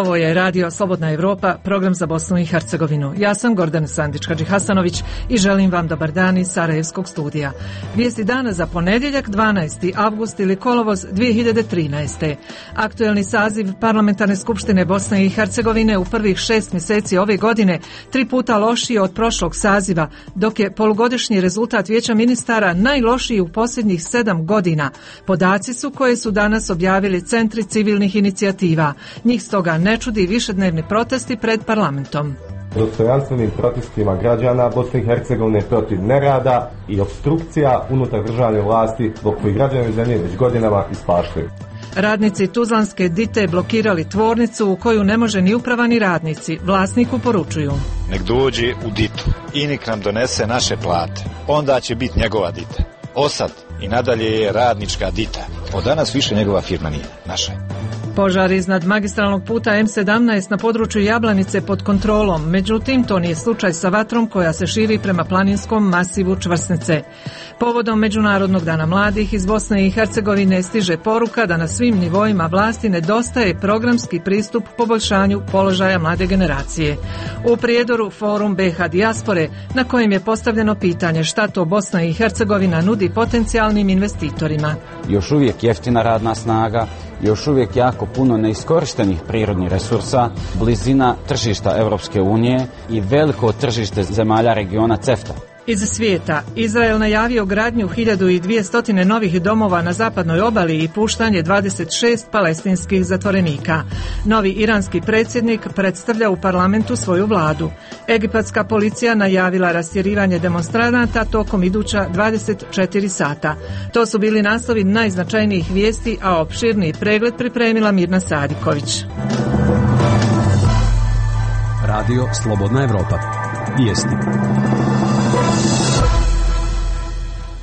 Ovo je Radio Slobodna Evropa, program za Bosnu i Hercegovinu. Ja sam Gordana Sandić-Hadžihasanović i želim vam dobar dan iz Sarajevskog studija. Vijesti dana za ponedjeljak 12. avgust ili kolovoz 2013. Aktuelni saziv Parlamentarne skupštine Bosne i Hercegovine u prvih 6 mjeseci ove godine 3 puta lošiji od prošlog saziva, dok je polugodišnji rezultat Vijeća ministara najlošiji u posljednjih 7 godina. Podaci su koje su danas objavili centri civilnih inicijativa. Njih stoga ne čudi višednevni protesti pred parlamentom. Dostojanstvenim protestima građana Bosne i Hercegovine protiv nerada i opstrukcija unutar državne vlasti zbog kojih građani zemlje već godinama ispaštaju. Radnici Tuzlanske Dite blokirali tvornicu u koju ne može ni uprava ni radnici. Vlasniku poručuju: nek dođe u Ditu i nek nam donese naše plate. Onda će biti njegova Dita. Osad i nadalje je radnička Dita. Od danas više njegova firma nije naša. Požar iznad magistralnog puta M17 na području Jablanice pod kontrolom, međutim to nije slučaj sa vatrom koja se širi prema planinskom masivu Čvrsnice. Povodom Međunarodnog dana mladih iz Bosne i Hercegovine stiže poruka da na svim nivoima vlasti nedostaje programski pristup poboljšanju položaja mlade generacije. U Prijedoru forum BiH dijaspore na kojem je postavljeno pitanje šta to Bosna i Hercegovina nudi potencijalnim investitorima. Još uvijek jeftina radna snaga, još uvijek jako puno neiskorištenih prirodnih resursa, blizina tržišta Europske unije i veliko tržište zemalja regiona CEFTA. Iz svijeta, Izrael najavio gradnju 1200 novih domova na zapadnoj obali i puštanje 26 palestinskih zatvorenika. Novi iranski predsjednik predstavlja u parlamentu svoju vladu. Egipatska policija najavila rastjerivanje demonstranata tokom iduća 24 sata. To su bili naslovi najznačajnijih vijesti, a opširniji pregled pripremila Mirna Sadiković. Radio Slobodna Evropa. Vijesti.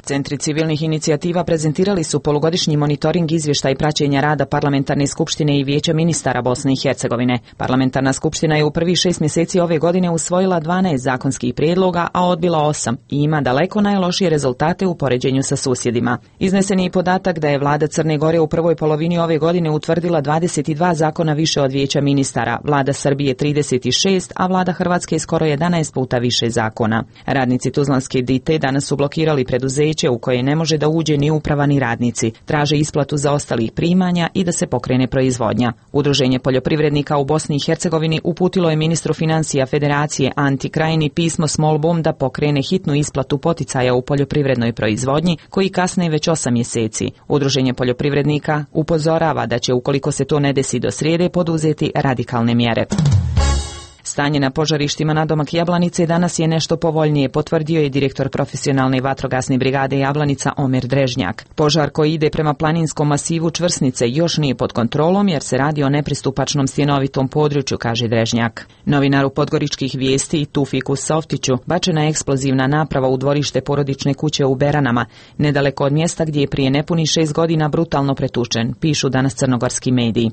Centri civilnih inicijativa prezentirali su polugodišnji monitoring izvještaj praćenja rada Parlamentarne skupštine i Vijeća ministara Bosne i Hercegovine. Parlamentarna skupština je u prvih 6 mjeseci ove godine usvojila 12 zakonskih prijedloga, a odbila 8 i ima daleko najlošije rezultate u poređenju sa susjedima. Iznesen je i podatak da je vlada Crne Gore u prvoj polovini ove godine utvrdila 22 zakona više od Vijeća ministara, vlada Srbije 36, a vlada Hrvatske skoro 11 puta više zakona. Radnici Tuzlanske Dite danas su blokirali preduzeće u koje ne može da uđe ni uprava ni radnici. Traže isplatu zaostalih primanja i da se pokrene proizvodnja. Udruženje poljoprivrednika u Bosni i Hercegovini uputilo je ministru financija Federacije Anti Krajini pismo s molbom da pokrene hitnu isplatu poticaja u poljoprivrednoj proizvodnji koji kasne već 8 mjeseci. Udruženje poljoprivrednika upozorava da će, ukoliko se to ne desi do srijede, poduzeti radikalne mjere. Stanje na požarištima nadomak Jablanice danas je nešto povoljnije, potvrdio je direktor profesionalne vatrogasne brigade Jablanica Omer Drežnjak. Požar koji ide prema planinskom masivu Čvrsnice još nije pod kontrolom jer se radi o nepristupačnom stjenovitom području, kaže Drežnjak. Novinaru Podgoričkih vijesti Tufiku Softiću bačena je eksplozivna naprava u dvorište porodične kuće u Beranama, nedaleko od mjesta gdje je prije nepunih 6 godina brutalno pretučen, pišu danas crnogorski mediji.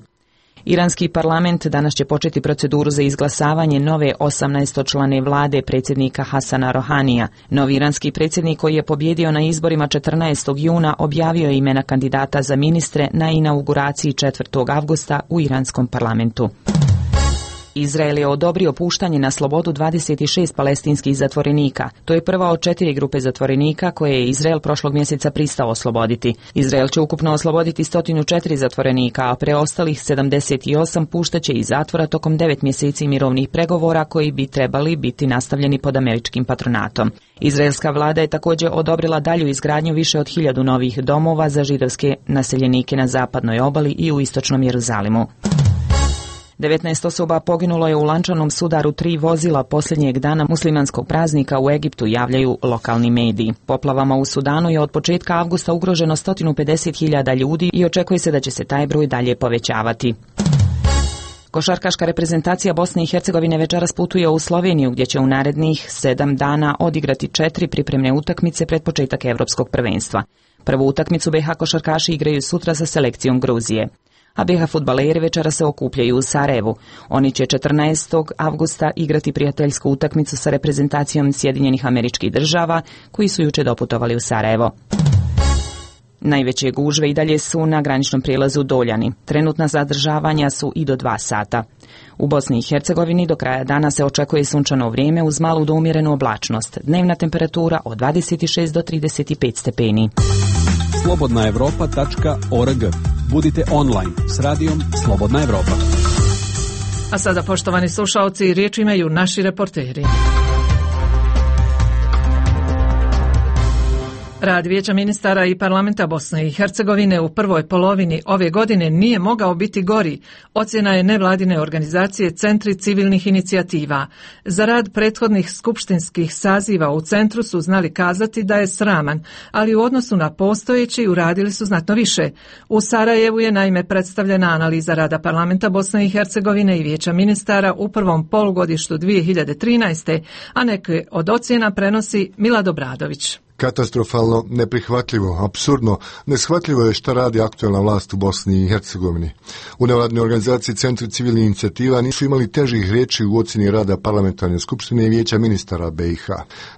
Iranski parlament danas će početi proceduru za izglasavanje nove 18-člane vlade predsjednika Hasana Rohanija. Novi iranski predsjednik koji je pobjedio na izborima 14. juna objavio je imena kandidata za ministre na inauguraciji 4. avgusta u iranskom parlamentu. Izrael je odobrio puštanje na slobodu 26 palestinskih zatvorenika. To je prva od 4 grupe zatvorenika koje je Izrael prošlog mjeseca pristao osloboditi. Izrael će ukupno osloboditi 104 zatvorenika, a preostalih 78 puštaće iz zatvora tokom 9 mjeseci mirovnih pregovora koji bi trebali biti nastavljeni pod američkim patronatom. Izraelska vlada je također odobrila dalju izgradnju više od 1000 novih domova za židovske naseljenike na zapadnoj obali i u istočnom Jeruzalimu. 19 osoba poginulo je u lančanom sudaru 3 vozila posljednjeg dana muslimanskog praznika u Egiptu, javljaju lokalni mediji. Poplavama u Sudanu je od početka avgusta ugroženo 150.000 ljudi i očekuje se da će se taj broj dalje povećavati. Košarkaška reprezentacija Bosne i Hercegovine večeras putuje u Sloveniju gdje će u narednih 7 dana odigrati 4 pripremne utakmice pred početak Europskog prvenstva. Prvu utakmicu BiH košarkaši igraju sutra sa selekcijom Gruzije. A BiH fudbaleri večera se okupljaju u Sarajevu. Oni će 14. avgusta igrati prijateljsku utakmicu sa reprezentacijom Sjedinjenih Američkih Država, koji su jučer doputovali u Sarajevo. Najveće gužve i dalje su na graničnom prijelazu Doljani. Trenutna zadržavanja su i do 2 sata. U Bosni i Hercegovini do kraja dana se očekuje sunčano vrijeme uz malu do umjerenu oblačnost. Dnevna temperatura od 26 do 35 stepeni. Slobodnaevropa.org. Budite online s radijom Slobodna Evropa. A sada, poštovani slušaoci, riječ imaju naši reporteri. Rad Vijeća ministara i parlamenta Bosne i Hercegovine u prvoj polovini ove godine nije mogao biti gori, ocjena je nevladine organizacije Centri civilnih inicijativa. Za rad prethodnih skupštinskih saziva u centru su znali kazati da je sraman, ali u odnosu na postojeći uradili su znatno više. U Sarajevu je naime predstavljena analiza rada parlamenta Bosne i Hercegovine i Vijeća ministara u prvom polugodištu 2013. a neke od ocjena prenosi Milad Obradović. Katastrofalno, neprihvatljivo, apsurdno, neshvatljivo je šta radi aktualna vlast u Bosni i Hercegovini. U nevladnoj organizaciji Centri civilnih inicijativa nisu imali težih riječi u ocjeni rada parlamentarne skupštine i Vijeća ministara BiH.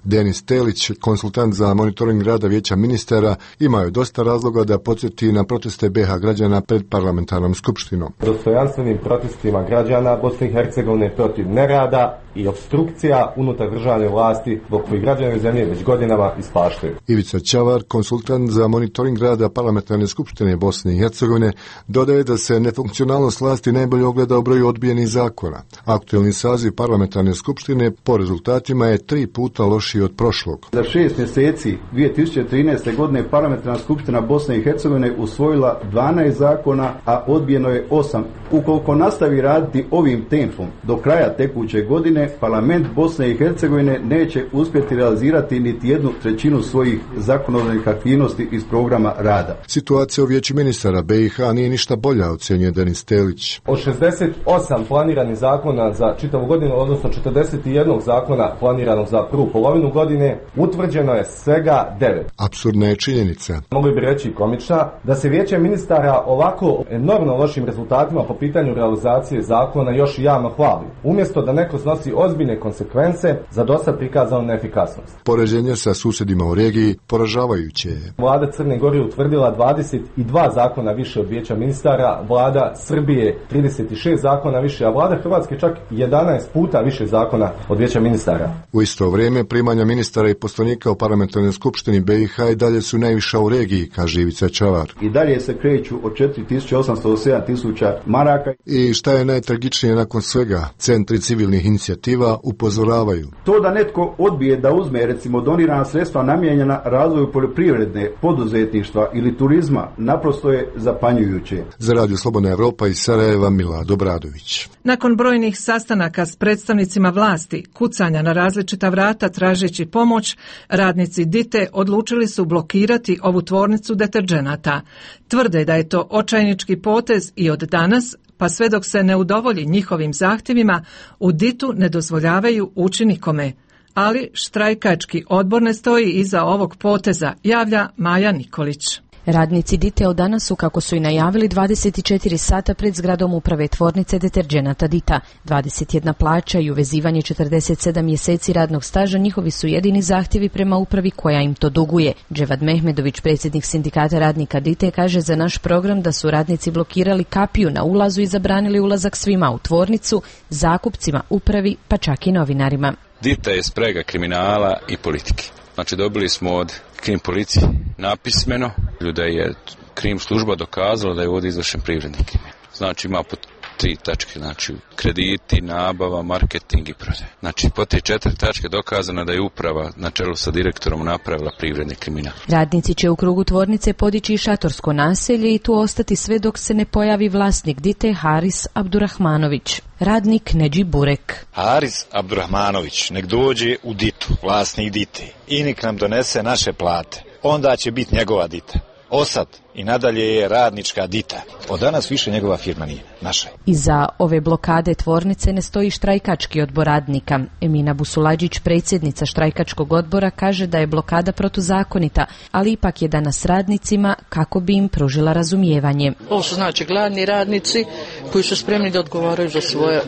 Denis Telić, konsultant za monitoring rada Vijeća ministara, imao je dosta razloga da podsjeti na proteste BiH građana pred parlamentarnom skupštinom. Dostojanstvenim protestima građana Bosne i Hercegovine protiv nerada i obstrukcija unutar državne vlasti zbog kojih građani zemlje već godinama ispaštaju. Ivica Čavar, konsultant za monitoring rada parlamentarne skupštine Bosne i Hercegovine, dodaje da se nefunkcionalnost vlasti najbolje ogleda u broju odbijenih zakona. Aktualni saziv parlamentarne skupštine po rezultatima je 3 puta lošiji od prošlog. Za 6 mjeseci 2013. godine parlamentarna skupština Bosne i Hercegovine usvojila 12 zakona, a odbijeno je 8. Ukoliko nastavi raditi ovim tempom do kraja tekuće godine, parlament Bosne i Hercegovine neće uspjeti realizirati niti 1/3 svojih zakonodavnih aktivnosti iz programa rada. Situacija u Vijeću ministara BiH nije ništa bolja, ocjenjuje Denis Telić. Od 68 planiranih zakona za čitavu godinu, odnosno 41 zakona planiranog za prvu polovinu godine, utvrđeno je svega 9. Apsurdna je činjenica. Mogli bi reći komična, da se Vijeće ministara ovako enormno lošim rezultatima po pitanju realizacije zakona još i javno hvali, umjesto da neko snosi ozbiljne konsekvence za dosad prikazanu neefikasnost. Poređenje sa susjedima u regiji poražavajuće je. Vlada Crne Gore utvrdila 22 zakona više od Vijeća ministara, vlada Srbije 36 zakona više, a vlada Hrvatske čak 11 puta više zakona od Vijeća ministara. U isto vrijeme primanja ministara i poslanika u parlamentarnoj skupštini BiH i dalje su najviša u regiji, kaže Ivica Čavar. I dalje se kreću od 4.800 do 7.000 maraka. I šta je najtragičnije nakon svega? Centri civilnih inicijativa upozoravaju. To da netko odbije da uzme, recimo, donirana sredstva namijenjena razvoju poljoprivredne, poduzetništva ili turizma, naprosto je zapanjujuće. Za Radio Slobodna Evropa iz Sarajeva, Milad Obradović. Nakon brojnih sastanaka s predstavnicima vlasti, kucanja na različita vrata tražeći pomoć, radnici DITE odlučili su blokirati ovu tvornicu deterdženata. Tvrde da je to očajnički potez i od danas, pa sve dok se ne udovolji njihovim zahtjevima, u DIT-u ne dozvoljavaju ući nikome. Ali štrajkački odbor ne stoji iza ovog poteza, javlja Maja Nikolić. Radnici DITE od danas su, kako su i najavili, 24 sata pred zgradom uprave tvornice deterdženata DITA. 21 plaća i uvezivanje 47 mjeseci radnog staža njihovi su jedini zahtjevi prema upravi koja im to duguje. Dževad Mehmedović, predsjednik sindikata radnika DITE, kaže za naš program da su radnici blokirali kapiju na ulazu i zabranili ulazak svima u tvornicu, zakupcima, upravi, pa čak i novinarima. DITA je sprega kriminala i politike. Znači dobili smo od krim policije napismeno da je krim služba dokazala da je ovdje izvršen privredni kriminal. Znači ima po 3 tačke, znači krediti, nabava, marketing i prodaja. Znači po te 4 tačke dokazano da je uprava na čelu sa direktorom napravila privredni kriminal. Radnici će u krugu tvornice podići i šatorsko naselje i tu ostati sve dok se ne pojavi vlasnik DITE Haris Abdurahmanović. Radnik Neđi Burek. Haris Abdurahmanović nek dođe u DIT-u, vlasnik DITE, i nek nam donese naše plate. Onda će biti njegova DITA. Osad i nadalje je radnička dita. Od danas više njegova firma nije, naša je. Iza ove blokade tvornice ne stoji štrajkački odbor radnika. Emina Busuladžić, predsjednica štrajkačkog odbora, kaže da je blokada protuzakonita, ali ipak je danas radnicima kako bi im pružila razumijevanje. Ovo su znači gladni radnici koji su spremni da odgovaraju za svoje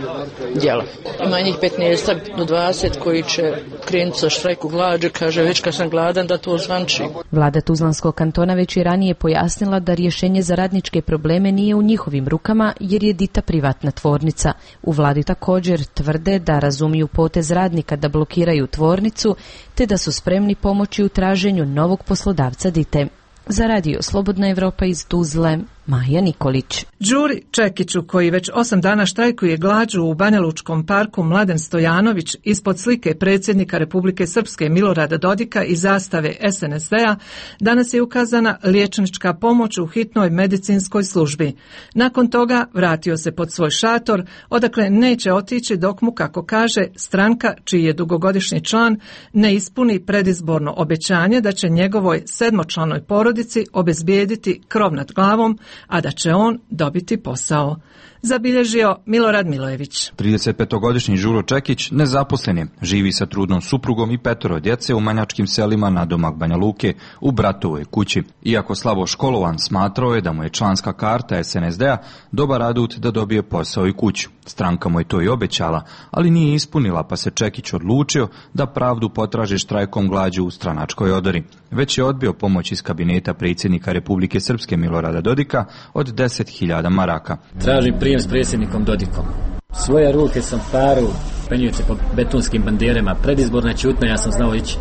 djela. Ima njih 15 do 20 koji će krenuti sa štrajku glađu, kaže već kad sam gladan da to ozvanči. Vlada Tuzlanskog kantona već je ranije pojasnila da rješenje za radničke probleme nije u njihovim rukama jer je Dita privatna tvornica. U vladi također tvrde da razumiju potez radnika da blokiraju tvornicu te da su spremni pomoći u traženju novog poslodavca Dite. Za radio Slobodna Evropa iz Tuzle, Maja Nikolić. Đuri Čekiću, koji već 8 dana štrajkuje glađu u Banjalučkom parku Mladen Stojanović ispod slike predsjednika Republike Srpske Milorada Dodika i zastave SNSD-a, danas je ukazana liječnička pomoć u hitnoj medicinskoj službi. Nakon toga vratio se pod svoj šator, odakle neće otići dok mu, kako kaže, stranka, čiji je dugogodišnji član, ne ispuni predizborno obećanje da će njegovoj 7-članoj porodici obezbijediti krov nad glavom, a da će on dobiti posao. Zabilježio Milorad Milojević. 35-godišnji Đuro Čekić nezaposlen je, živi sa trudnom suprugom i 5 djece u manjačkim selima nadomak Banja Luke u bratovoj kući. Iako slabo školovan, smatrao je da mu je članska karta SNSD-a dobar adut da dobije posao i kuću. Stranka mu je to i obećala, ali nije ispunila, pa se Čekić odlučio da pravdu potraži štrajkom glađu u stranačkoj odori. Već je odbio pomoć iz kabineta predsjednika Republike Srpske Milorada Dodika od 10.000 maraka. Tražim prijem s predsjednikom Dodikom. Svoje ruke sam paru, penjujući po betonskim banderama, predizborna ćutnja, ja sam znao ići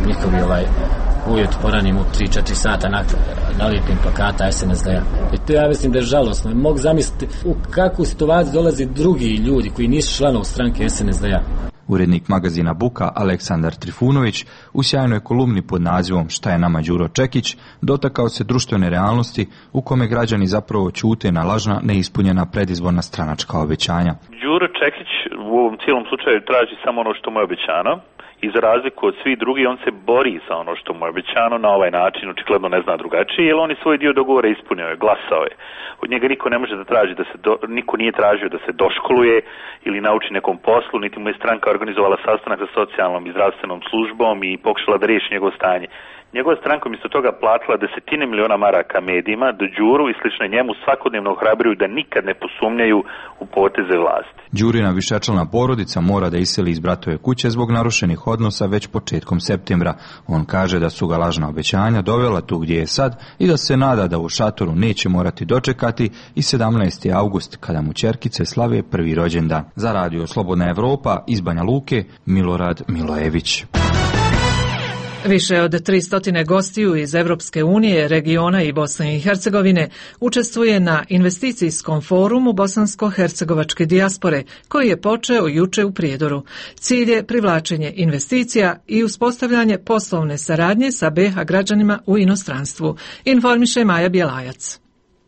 njihovi ujut poranim u 3-4 sata nalijepim plakata SNSD-a. I to ja mislim da je žalosno. Mogu zamisliti u kakvu situaciju dolazi drugi ljudi koji nisu članovi stranke SNSD-a. Urednik magazina Buka Aleksandar Trifunović u sjajnoj kolumni pod nazivom Šta je nama Đuro Čekić dotakao se društvene realnosti u kome građani zapravo ćute na lažna, neispunjena predizborna stranačka obećanja. Đuro Čekić u ovom cijelom slučaju traži samo ono što mu je obećano i za razliku od svih drugih on se bori za ono što mu je obećano na ovaj način, očigledno ne zna drugačije, jer on je svoj dio dogovora ispunio je, glasao je. Od njega niko ne može da traži niko nije tražio da se doškoluje ili nauči nekom poslu, niti mu je stranka organizovala sastanak sa socijalnom i zdravstvenom službom i pokušala da riješi njegovo stanje. Njegova stranka umjesto toga platila 10 miliona maraka medijima da Đuru i slično njemu svakodnevno ohrabruju da nikad ne posumnjaju u poteze vlasti. Đurina višečlana porodica mora da iseli iz bratove kuće zbog narušenih odnosa već početkom septembra. On kaže da su ga lažna obećanja dovela tu gdje je sad i da se nada da u šatoru neće morati dočekati i 17. august kada mu ćerkice slave prvi rođendan. Za radio Slobodna Evropa iz Banja Luke, Milorad Milojević. Više od 300 gostiju iz Evropske unije, regiona i Bosne i Hercegovine učestvuje na investicijskom forumu bosansko-hercegovačke dijaspore, koji je počeo juče u Prijedoru. Cilj je privlačenje investicija i uspostavljanje poslovne saradnje sa BiH građanima u inostranstvu, informiše Maja Bjelajac.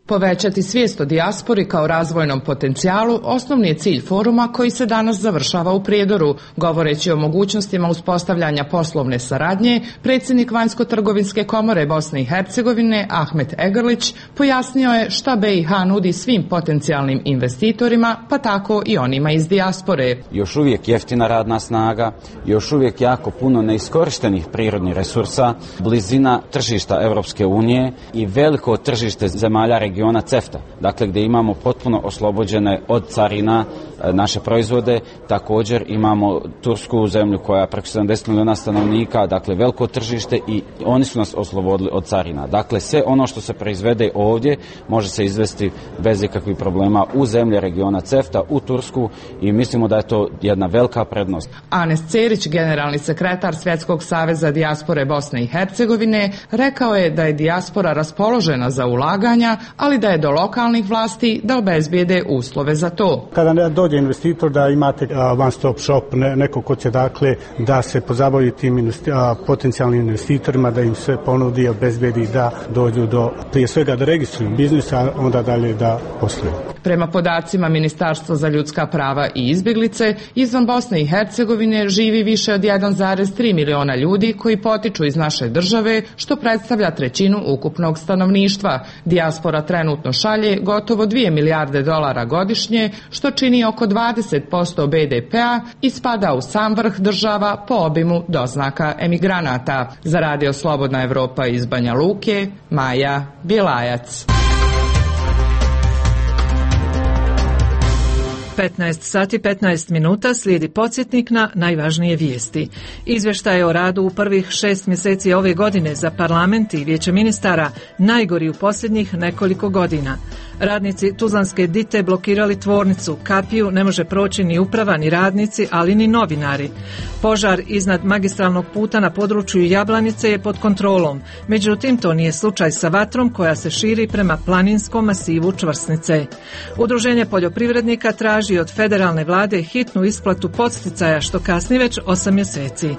Povećati svijest o dijaspori kao razvojnom potencijalu osnovni je cilj foruma koji se danas završava u Prijedoru. Govoreći o mogućnostima uspostavljanja poslovne saradnje, predsjednik Vanjsko-trgovinske komore Bosne i Hercegovine Ahmet Egrlić pojasnio je šta BiH nudi svim potencijalnim investitorima, pa tako i onima iz dijaspore. Još uvijek jeftina radna snaga, još uvijek jako puno neiskorištenih prirodnih resursa, blizina tržišta Europske unije i veliko tržište zemalja regiona CEFTA, dakle gdje imamo potpuno oslobođene od carina naše proizvode. Također imamo tursku zemlju koja je preko 70 milijuna stanovnika, dakle veliko tržište i oni su nas oslobodili od carina. Dakle sve ono što se proizvede ovdje može se izvesti bez ikakvih problema u zemlje regiona CEFTA, u Tursku i mislimo da je to jedna velika prednost. Anes Cerić, generalni sekretar Svjetskog saveza dijaspore Bosne i Hercegovine, rekao je da je dijaspora raspoložena za ulaganja, ali da je do lokalnih vlasti da obezbijede uslove za to. Kada dođe investitor da imate one stop shop, neko ko će dakle da se pozabavi tim potencijalnim investitorima, da im sve ponudi i obezbijedi da dođu do, prije svega da registruju biznis, a onda dalje da posluju. Prema podacima Ministarstva za ljudska prava i izbjeglice, izvan Bosne i Hercegovine živi više od 1,3 miliona ljudi koji potiču iz naše države, što predstavlja trećinu ukupnog stanovništva. Dijaspora trenutno šalje gotovo 2 milijarde dolara godišnje, što čini oko 20% BDP-a i spada u sam vrh država po obimu doznaka emigranata. Za Radio Slobodna Evropa iz Banja Luke, Maja Bjelajac. 15 sati 15 minuta slijedi podsjetnik na najvažnije vijesti. Izvještaj o radu u prvih 6 mjeseci ove godine za parlament i vijeće ministara najgori u posljednjih nekoliko godina. Radnici Tuzlanske Dite blokirali tvornicu, kapiju ne može proći ni uprava ni radnici, ali ni novinari. Požar iznad magistralnog puta na području Jablanice je pod kontrolom, međutim to nije slučaj sa vatrom koja se širi prema planinskom masivu Čvrsnice. Udruženje poljoprivrednika traži od federalne vlade hitnu isplatu podsticaja što kasni već 8 mjeseci.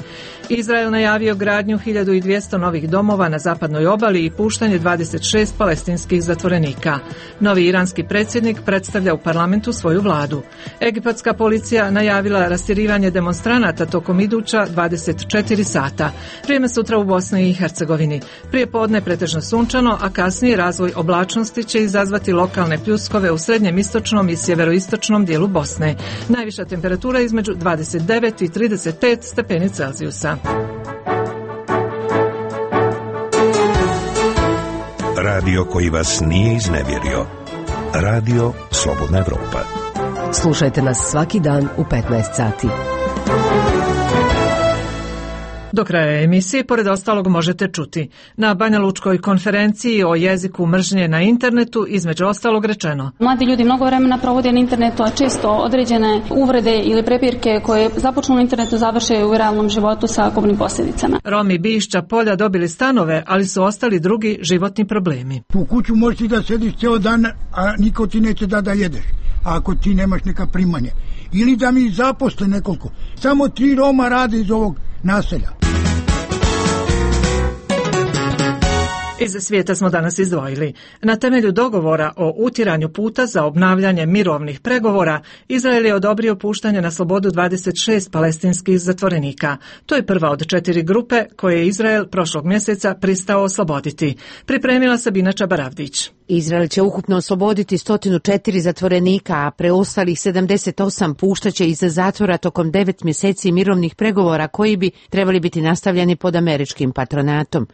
Izrael najavio gradnju 1200 novih domova na zapadnoj obali i puštanje 26 palestinskih zatvorenika. Novi iranski predsjednik predstavlja u parlamentu svoju vladu. Egipatska policija najavila rastjerivanje demonstranata tokom iduća 24 sata. Vrijeme sutra u Bosni i Hercegovini. Prije podne pretežno sunčano, a kasnije razvoj oblačnosti će izazvati lokalne pljuskove u srednjem istočnom i sjeveroistočnom dijelu Bosne. Najviša temperatura između 29 i 35 stepeni Celzijusa. Radio koji vas nije iznevjerio. Radio Slobodna Evropa. Slušajte nas svaki dan u 15 sati. Do kraja emisije, pored ostalog, možete čuti: na Banjalučkoj konferenciji o jeziku mržnje na internetu, između ostalog, rečeno: mladi ljudi mnogo vremena provode na internetu, a često određene uvrede ili prepirke koje započnu na internetu završe u realnom životu sa kobnim posljedicama. Romi Bišća Polja dobili stanove, ali su ostali drugi životni problemi. U kuću možeš da sediš cijel dan, a niko ti neće da jedeš, ako ti nemaš neka primanja. Ili da mi zaposle nekoliko. Samo 3 Roma rade iz ovog naselja. Iz svijeta smo danas izdvojili: na temelju dogovora o utiranju puta za obnavljanje mirovnih pregovora, Izrael je odobrio puštanje na slobodu 26 palestinskih zatvorenika. To je prva od 4 grupe koje je Izrael prošlog mjeseca pristao osloboditi. Pripremila Sabina Čabaravdić. Izrael će ukupno osloboditi 104 zatvorenika, a preostalih 78 puštaće iz zatvora tokom 9 mjeseci mirovnih pregovora koji bi trebali biti nastavljeni pod američkim patronatom.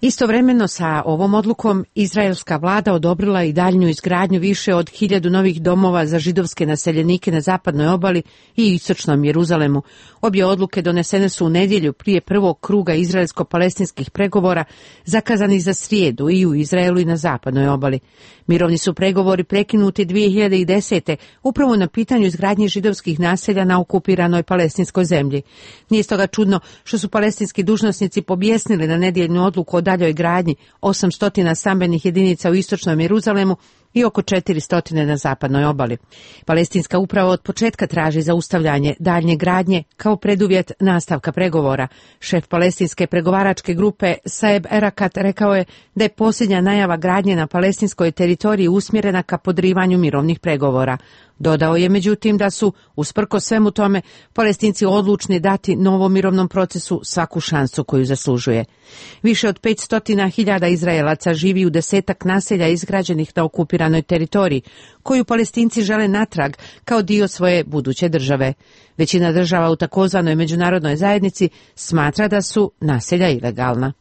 Istovremeno sa ovom odlukom izraelska vlada odobrila i daljnju izgradnju više od 1000 novih domova za židovske naseljenike na zapadnoj obali i istočnom Jeruzalemu. Obje odluke donesene su u nedjelju prije prvog kruga izraelsko-palestinskih pregovora zakazanih za srijedu i u Izraelu i na zapadnoj obali. Mirovni su pregovori prekinuti 2010. upravo na pitanju izgradnje židovskih naselja na okupiranoj palestinskoj zemlji. Nije stoga čudno što su palestinski dužnosnici pobjesnili na nedjeljnu odluku o daljoj gradnji 800 stambenih jedinica u istočnom Jeruzalemu i oko 400 na zapadnoj obali. Palestinska uprava od početka traži zaustavljanje daljnje gradnje kao preduvjet nastavka pregovora. Šef palestinske pregovaračke grupe Saeb Erakat rekao je da je posljednja najava gradnje na palestinskoj teritoriji usmjerena ka podrivanju mirovnih pregovora. Dodao je međutim da su, usprkos svemu tome, Palestinci odlučni dati novom mirovnom procesu svaku šansu koju zaslužuje. Više od 500.000 Izraelaca živi u 10 naselja izgrađenih na okupiranoj teritoriji, koju Palestinci žele natrag kao dio svoje buduće države. Većina država u takozvanoj međunarodnoj zajednici smatra da su naselja ilegalna.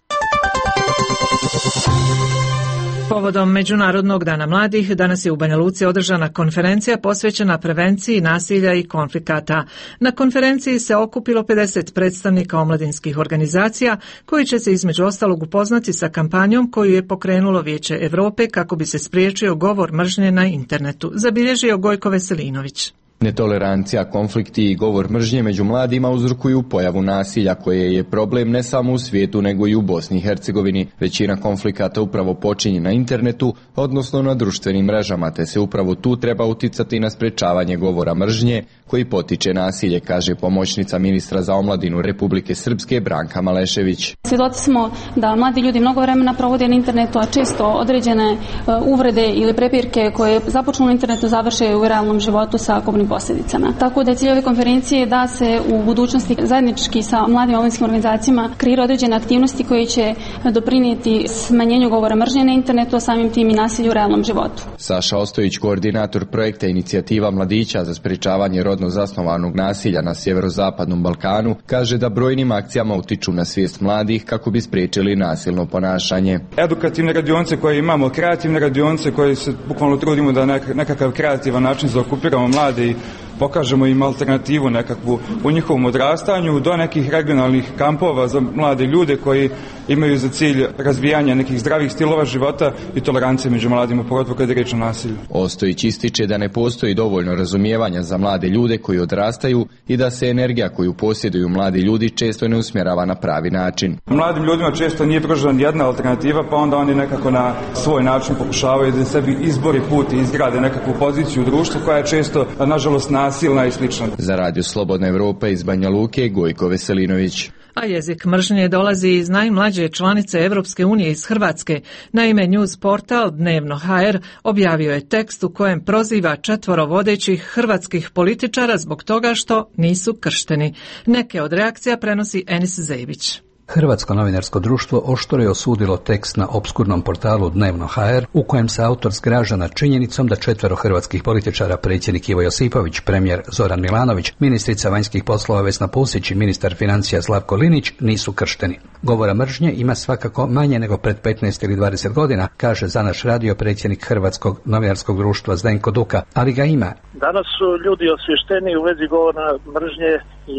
Povodom Međunarodnog dana mladih, danas je u Banja Luci održana konferencija posvećena prevenciji nasilja i konflikata. Na konferenciji se okupilo 50 predstavnika omladinskih organizacija koji će se između ostalog upoznati sa kampanjom koju je pokrenulo Vijeće Europe kako bi se spriječio govor mržnje na internetu, zabilježio Gojko Veselinović. Netolerancija, konflikti i govor mržnje među mladima uzrokuju pojavu nasilja koje je problem ne samo u svijetu nego i u Bosni i Hercegovini. Većina konflikata upravo počinje na internetu, odnosno na društvenim mrežama, te se upravo tu treba uticati na sprečavanje govora mržnje koji potiče nasilje, kaže pomoćnica ministra za omladinu Republike Srpske Branka Malešević. Svjedoci smo da mladi ljudi mnogo vremena provode na internetu, a često određene uvrede ili prepirke koje započnu na internetu završe u realnom životu sa kobnim posljedicama. Tako da je cilj ove konferencije da se u budućnosti zajednički sa mladim omladinskim organizacijama kreiraju određene aktivnosti koje će doprinijeti smanjenju govora mržnje na internetu, a samim tim i nasilju u realnom životu. Saša Ostojić, koordinator projekta Inicijativa mladića za sprečavanje rodno zasnovanog nasilja na sjeverozapadnom Balkanu, kaže da brojnim akcijama utiču na svijest mladih kako bi spriječili nasilno ponašanje. Edukativne radionice koje imamo, kreativne radionice koje se bukvalno trudimo da nekakav kreativan način zaokupiramo mlade i pokažemo im alternativu nekakvu u njihovom odrastanju, do nekih regionalnih kampova za mlade ljude koji imaju za cilj razvijanje nekih zdravih stilova života i tolerancije među mladima, pogotovo kad je riječ o nasilju. Ostojić ističe da ne postoji dovoljno razumijevanja za mlade ljude koji odrastaju i da se energija koju posjeduju mladi ljudi često ne usmjerava na pravi način. Mladim ljudima često nije pružena jedna alternativa, pa onda oni nekako na svoj način pokušavaju da sebi izbori put i izgrade nekakvu poziciju u društvu koja je često, nažalost, nasilna i slična. Za Radio Slobodna Evropa iz Banja Luke, Gojko Veselinović. A jezik mržnje dolazi iz najmlađe članice Europske unije iz Hrvatske. Naime, news portal Dnevno.hr objavio je tekst u kojem proziva 4 vodećih hrvatskih političara zbog toga što nisu kršteni. Neke od reakcija prenosi Enis Zebić. Hrvatsko novinarsko društvo oštro je osudilo tekst na opskurnom portalu Dnevno.hr u kojem se autor zgraža nad činjenicom da 4 hrvatskih političara, predsjednik Ivo Josipović, premijer Zoran Milanović, ministrica vanjskih poslova Vesna Pusić i ministar financija Slavko Linić nisu kršteni. Govora mržnje ima svakako manje nego pred 15 ili 20 godina, kaže za naš radio predsjednik Hrvatskog novinarskog društva Zdenko Duka, ali ga ima. Danas su ljudi osvješteni u vezi govora mržnje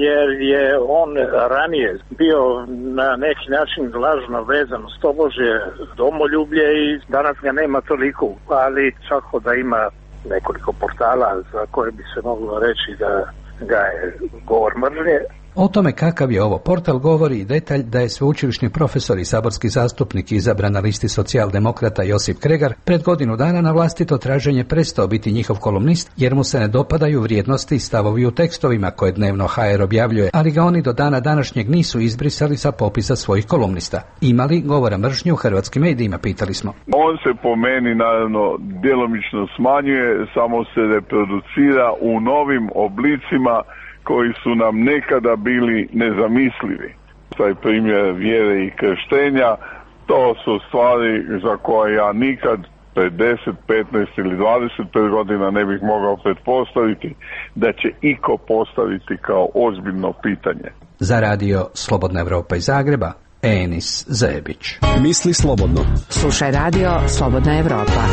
jer je on ranije bio na neki način lažno vezan uz tobožje domoljublje i danas ga nema toliko, ali svako da ima nekoliko portala za koje bi se moglo reći da ga je govor mržnje. O tome kakav je ovo portal govori i detalj da je sveučilišni profesor i saborski zastupnik izabran na listi socijaldemokrata Josip Kregar pred godinu dana na vlastito traženje prestao biti njihov kolumnist jer mu se ne dopadaju vrijednosti i stavovi u tekstovima koje Dnevno.hr objavljuje, ali ga oni do dana današnjeg nisu izbrisali sa popisa svojih kolumnista. Ima li govora mržnje u hrvatskim medijima, pitali smo. On se po meni naravno djelomično smanjuje, samo se reproducira u novim oblicima koji su nam nekada bili nezamislivi. Taj primjer vjere i krštenja, to su stvari za koje ja nikad pred 10, 15 ili 25 godina ne bih mogao pretpostaviti da će iko postaviti kao ozbiljno pitanje. Za radio Slobodna Evropa iz Zagreba, Enis Zebić. Misli slobodno. Slušaj radio Slobodna Evropa.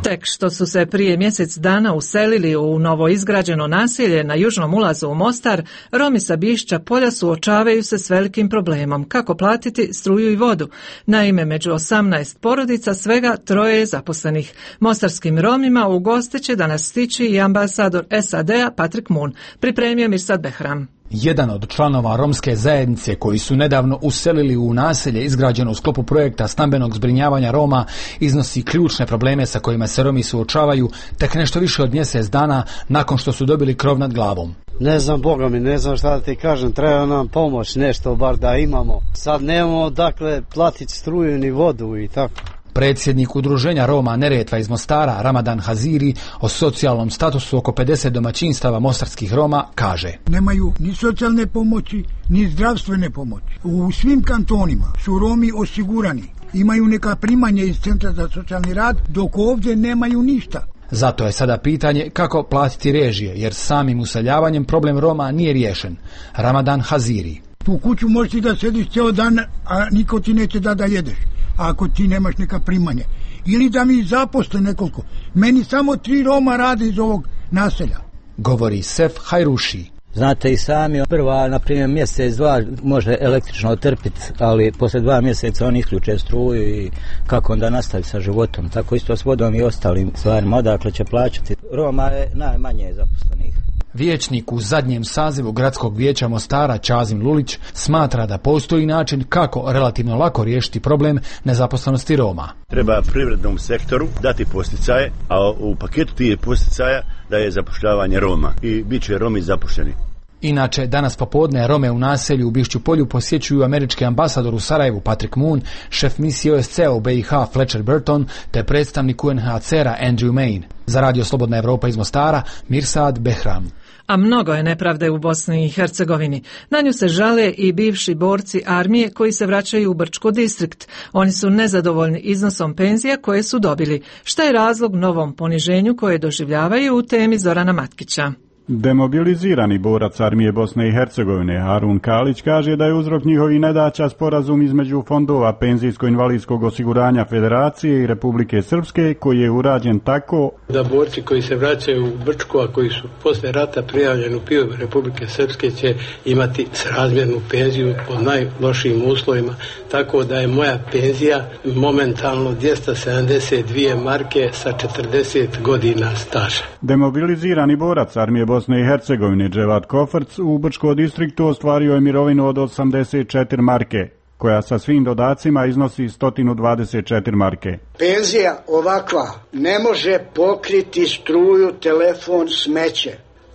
Tek što su se prije mjesec dana uselili u novoizgrađeno naselje na južnom ulazu u Mostar, Romi sa Bišća polja suočavaju se s velikim problemom kako platiti struju i vodu. Naime, među 18 porodica svega 3 je zaposlenih. Mostarskim Romima u goste će danas stići i ambasador SAD-a Patrick Moon. Pripremio Mirsad Behram. Jedan od članova romske zajednice koji su nedavno uselili u naselje izgrađeno u sklopu projekta stambenog zbrinjavanja Roma iznosi ključne probleme sa kojima se Romi suočavaju tek nešto više od mjesec dana nakon što su dobili krov nad glavom. Ne znam, Boga mi, ne znam šta da ti kažem, treba nam pomoć, nešto bar da imamo. Sad nemamo dakle platiti struju ni vodu i tako. Predsjednik udruženja Roma Neretva iz Mostara, Ramadan Haziri, o socijalnom statusu oko 50 domaćinstava mostarskih Roma kaže: Nemaju ni socijalne pomoći, ni zdravstvene pomoći. U svim kantonima su Romi osigurani, imaju neka primanja iz Centra za socijalni rad, dok ovdje nemaju ništa. Zato je sada pitanje kako platiti režije, jer samim useljavanjem problem Roma nije riješen. Ramadan Haziri: U kuću možeš da sediš cijel dan, a niko ti neće da jedeš, ako ti nemaš neka primanja. Ili da mi zaposle nekoliko. Meni samo 3 Roma rade iz ovog naselja. Govori Sef Hajruši. Znate i sami, prva, na primjer, mjesec, dva može električno otrpiti, ali posle 2 mjeseca oni isključe struju i kako onda nastavi sa životom. Tako isto s vodom i ostalim stvarima, odakle će plaćati. Roma je najmanje zaposlenih. Vijećnik u zadnjem sazivu Gradskog vijeća Mostara Čazim Lulić smatra da postoji način kako relativno lako riješiti problem nezaposlenosti Roma. Treba privrednom sektoru dati posticaje, a u paketu tih posticaja da je zapošljavanje Roma i bit će Romi zaposleni. Inače, danas popodne Rome u naselju u Bišću polju posjećuju američki ambasador u Sarajevu Patrick Moon, šef misije OSCE u BiH Fletcher Burton te predstavnik UNHCR-a Andrew Main. Za Radio Slobodna Evropa iz Mostara, Mirsad Behram. A mnogo je nepravde u Bosni i Hercegovini. Na nju se žale i bivši borci armije koji se vraćaju u Brčko distrikt. Oni su nezadovoljni iznosom penzija koje su dobili. Šta je razlog novom poniženju koje doživljavaju u temi Zorana Matkića? Demobilizirani borac armije Bosne i Hercegovine Harun Kalić kaže da je uzrok njihovi nedaća sporazum između fondova penzijsko-invalidskog osiguranja Federacije i Republike Srpske koji je urađen tako da borci koji se vraćaju u Brčko, a koji su posle rata prijavljeni u PIO Republike Srpske će imati srazmjernu penziju pod najlošijim uslovima, tako da je moja penzija momentalno 272 marke sa 40 godina staža. Demobilizirani borac armije Bosne i Hercegovine Dževat Kofarc u Brčko distriktu ostvario je mirovinu od 84 marke, koja sa svim dodacima iznosi 124 marke. Penzija ovakva ne može pokriti struju, telefon, smeće.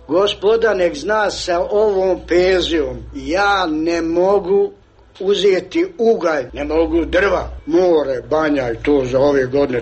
Gospoda nek zna, sa ovom penzijom ja ne mogu uzeti ugalj, ne mogu drva, more, banja i to za ove godine,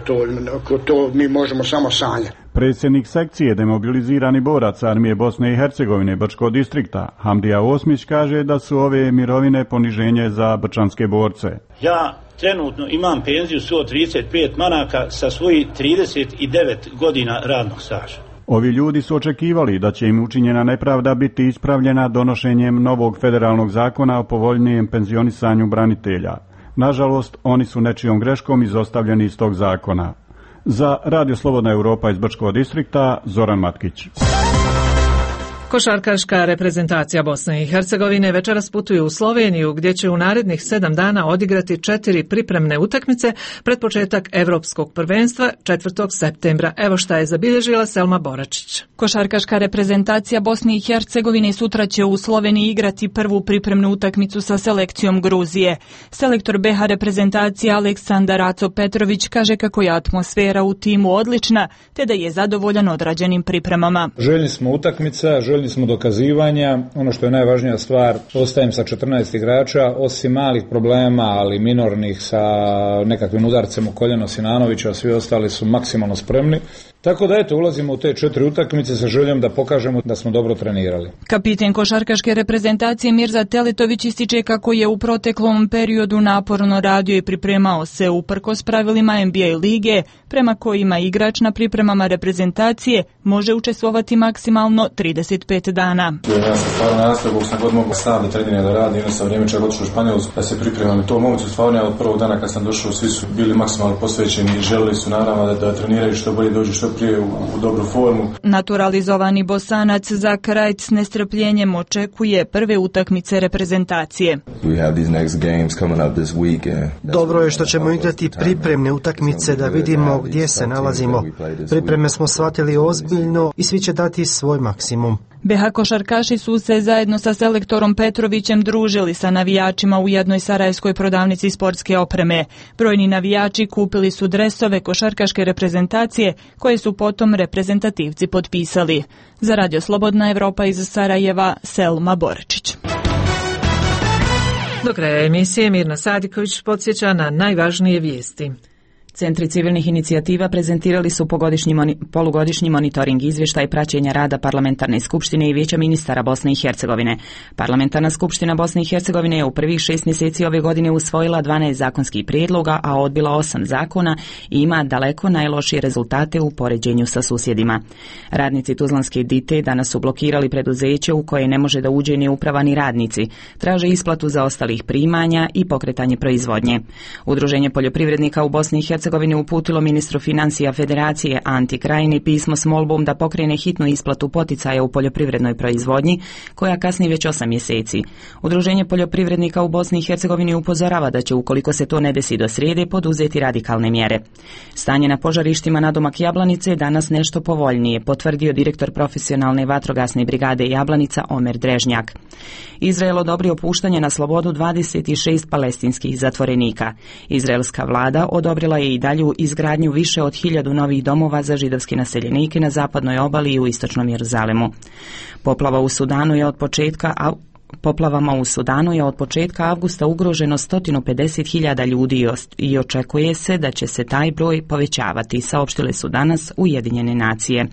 to mi možemo samo sanjati. Predsjednik sekcije demobilizirani borac armije Bosne i Hercegovine Brčko distrikta Hamdija Osmić kaže da su ove mirovine poniženje za brčanske borce. Ja trenutno imam penziju 135 maraka sa svojih 39 godina radnog staža. Ovi ljudi su očekivali da će im učinjena nepravda biti ispravljena donošenjem novog federalnog zakona o povoljnijem penzionisanju branitelja. Nažalost, oni su nečijom greškom izostavljeni iz tog zakona. Za Radio Slobodna Evropa iz Brčkog distrikta, Zoran Matkić. Košarkaška reprezentacija Bosne i Hercegovine večeras putuje u Sloveniju gdje će u narednih 7 dana odigrati 4 pripremne utakmice pred početak Evropskog prvenstva 4. septembra. Evo šta je zabilježila Selma Boračić. Košarkaška reprezentacija Bosne i Hercegovine sutra će u Sloveniji igrati prvu pripremnu utakmicu sa selekcijom Gruzije. Selektor BiH reprezentacije Aleksandar Aco Petrović kaže kako je atmosfera u timu odlična te da je zadovoljan odrađenim pripremama. Željni smo utakmica, željni smo dokazivanja, ono što je najvažnija stvar, ostajem sa 14 igrača, osim malih problema, ali minornih sa nekakvim udarcem u koljeno Sinanovića, svi ostali su maksimalno spremni. Tako da eto, ulazimo u te 4 utakmice sa željom da pokažemo da smo dobro trenirali. Kapiten košarkaške reprezentacije Mirza Teletović ističe kako je u proteklom periodu naporno radio i pripremao se uprkos pravilima NBA lige, prema kojima igrač na pripremama reprezentacije može učestvovati maksimalno 35 dana. Ja sam stvarno nastavio, sam god mogu stalno trenirati da radim, jedno sam vrijeme čak otišao u Španjolsku da se pripremam. To moguće stvarno, od prvog dana kad sam došao, svi su bili maksimalno posvećeni i želili su naravno da treniraju što bolje, dođu što prije u dobru formu. Naturalizovani Bosanac Zak Rajc s nestrpljenjem očekuje prve utakmice reprezentacije. Dobro je što ćemo igrati pripremne utakmice da vidimo gdje se nalazimo. Pripreme smo shvatili ozbiljno i svi će dati svoj maksimum. BiH košarkaši su se zajedno sa selektorom Petrovićem družili sa navijačima u jednoj sarajevskoj prodavnici sportske opreme. Brojni navijači kupili su dresove košarkaške reprezentacije koje su potom reprezentativci potpisali. Za Radio Slobodna Evropa iz Sarajeva, Selma Boračić. Do kraja emisije Mirna Sadiković podsjeća na najvažnije vijesti. Centri civilnih inicijativa prezentirali su polugodišnji monitoring izvještaj praćenja rada Parlamentarne skupštine i Vijeća ministara Bosne i Hercegovine. Parlamentarna skupština Bosne i Hercegovine je u prvih 6 mjeseci ove godine usvojila 12 zakonskih prijedloga, a odbila 8 zakona i ima daleko najlošije rezultate u poređenju sa susjedima. Radnici Tuzlanske Dite danas su blokirali preduzeće u koje ne može da uđe ni uprava ni radnici. Traže isplatu zaostalih primanja i pokretanje proizvodnje. Udruženje poljoprivrednika u Bosni i Hercegovini Hercegovine uputilo ministru financija Federacije Anti Krajini pismo s molbom da pokrene hitnu isplatu poticaja u poljoprivrednoj proizvodnji, koja kasni već 8 mjeseci. Udruženje poljoprivrednika u Bosni i Hercegovini upozorava da će, ukoliko se to ne desi do srijede, poduzeti radikalne mjere. Stanje na požarištima nadomak Jablanice je danas nešto povoljnije, potvrdio direktor profesionalne vatrogasne brigade Jablanica Omer Drežnjak. Izrael odobrio puštanje na slobodu 26 palestinskih zatvorenika. Izraelska vlada odobrila je i dalju izgradnju više od 1000 novih domova za židovske naseljenike na zapadnoj obali i u istočnom Jeruzalemu. Poplavama u Sudanu je od početka avgusta ugroženo 150.000 ljudi i očekuje se da će se taj broj povećavati, saopštile su danas Ujedinjene nacije.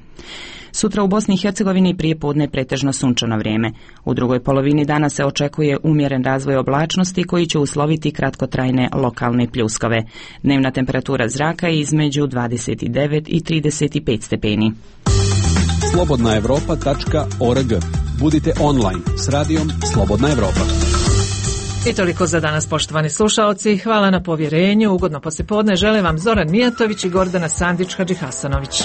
Sutra u Bosni i Hercegovini prijepodne pretežno sunčano vrijeme. U drugoj polovini dana se očekuje umjeren razvoj oblačnosti koji će usloviti kratkotrajne lokalne pljuskove. Dnevna temperatura zraka je između 29 i 35 stepeni. slobodnaevropa.org. Budite online s radijom Slobodna Evropa. I toliko za danas, poštovani slušaoci. Hvala na povjerenju. Ugodno poslijepodne žele vam Zoran Mijatović i Gordana Sandić Hadžihasanović.